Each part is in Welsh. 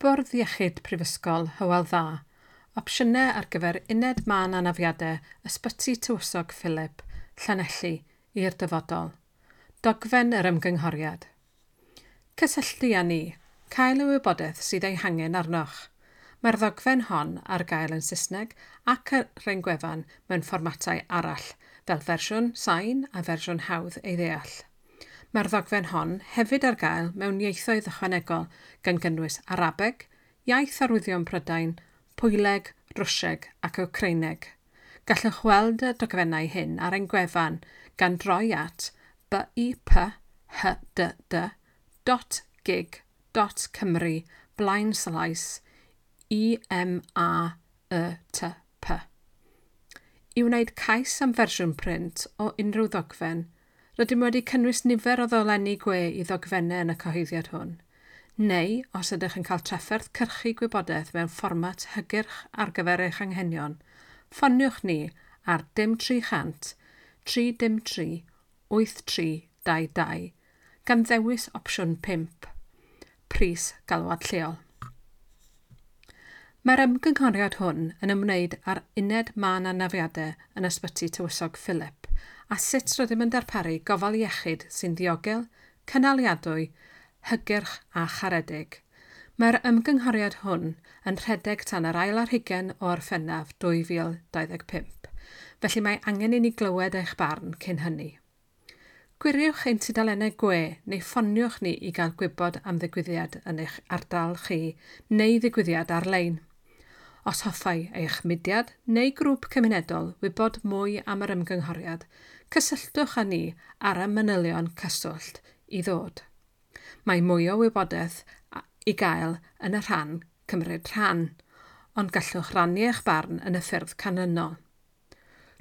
Bwrdd Iechyd Prifysgol Hywel Dda, opsiynau ar gyfer uned mân anafiadau Ysbyty Tywysog Philip, Llanelli, i'r dyfodol. Dogfen yr ymgynghoriad. Cysylltu â ni, cael y wybodaeth sydd ei hangen arnoch. Mae'r ddogfen hon ar gael yn Saesneg ac ar ein gwefan mewn fformatau arall, fel fersiwn sain a fersiwn hawdd ei ddeall. Mae'r ddogfen hon hefyd ar gael mewn ieithoedd ychwanegol gan gynnwys Arabeg, Iaith Arwyddion Prydain, Pwyleg, Rwsieg ac Wcreineg. Gallwch weld y dogfennau hyn ar ein gwefan gan droi at biphdd.gig.cymru blaenslaes IMAETP. I wneud cais am fersiwn print o unrhyw ddogfen, rydym wedi cynnwys nifer o ddolenni gwe i ddogfennau yn y cyhoeddiad hwn. Neu, os ydych yn cael trafferth cyrchu gwybodaeth mewn fformat hygyrch ar gyfer eich anghenion, ffoniwch ni ar dim 300 303 8322 gan ddewis opsiwn 5, pris galwad lleol. Mae'r ymgynghoriad hwn yn ymwneud â'r uned mân anafiadau yn Ysbyty Tywysog Philip a sut rydym yn darparu gofal iechyd sy'n ddiogel, cynaliadwy, hygyrch a charedig. Mae'r ymgynghoriad hwn yn rhedeg tan yr ail ar hugain o Orffennaf 2025, felly mae angen i ni glywed eich barn cyn hynny. Gwiriwch ein tudalennau gwe neu ffoniwch ni i gael gwybod am ddigwyddiad yn eich ardal chi neu ddigwyddiad ar-lein. Os hoffai eich mudiad neu grŵp cymunedol wybod mwy am yr ymgynghoriad, cysylltwch â ni ar y manylion cyswllt i ddod. Mae mwy o wybodaeth i gael yn y rhan cymryd rhan, ond gallwch rannu eich barn yn y ffyrdd canlynol.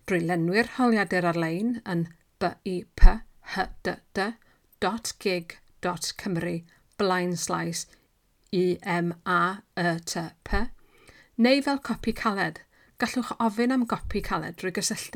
Drwy lenwi'r holiadur ar-lein yn biphdd.gig.cymru blaenslaes IMAETP, neu fel copi caled, gallwch ofyn am gopi caled drwy gysylltu